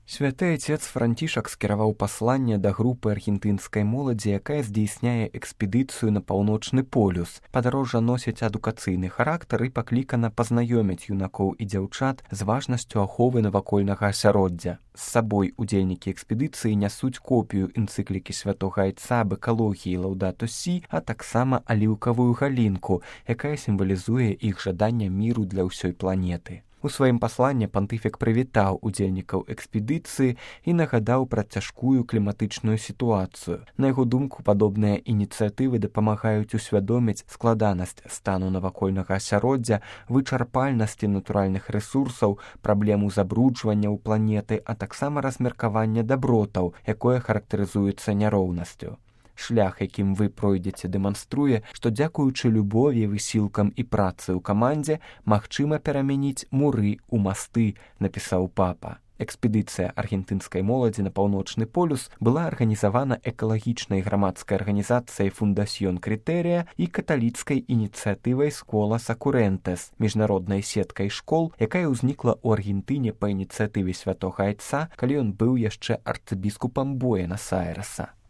Святы Отец Францішак скіраваў пасланне да групы аргентынскай моладзі, якая здзейсняе экспедыцыю на паўночны полюс. Падарожжа носіць адукацыйны характар і паклікана пазнаёміць юнакоў і дзяўчат з важнасцю аховы навакольнага асяроддзя. З сабой удзельнікі экспедыцыі нясуць копію энцыклікі святога Айца аб экалогіі Лаўдату Сі, а таксама аліўкавую галінку, якая сімвалізуе іх жаданне міру для ўсёй планеты. У сваім пасланні пантыфік прывітаў удзельнікаў экспедыцыі і нагадаў пра цяжкую кліматычную сітуацыю. На яго думку, падобныя ініцыятывы дапамагаюць усвядоміць складанасць стану навакольнага асяроддзя, вычарпальнасці натуральных рэсурсаў, праблему забруджвання ў планеты, а таксама размеркавання дабротаў, якое характарызуецца няроўнасцю. Шлях, якім вы пройдзеце, дэманструе, што дзякуючы любові, высілкам і працы ў камандзе магчыма перамяніць муры ў масты, напісаў папа. Экспедыцыя аргентынскай моладзі на паўночны полюс была арганізавана экалагічнай грамадскай арганізацыяй «Фундасьён Крытэрыя» і каталіцкай ініцыятывай «Скола Сакурэнтэс», міжнароднай сеткай школ, якая ўзнікла ў Аргентыне па ініцыятыве святога Айца, калі ён быў яшчэ арцыбіскупам Буэнас-Айрэса.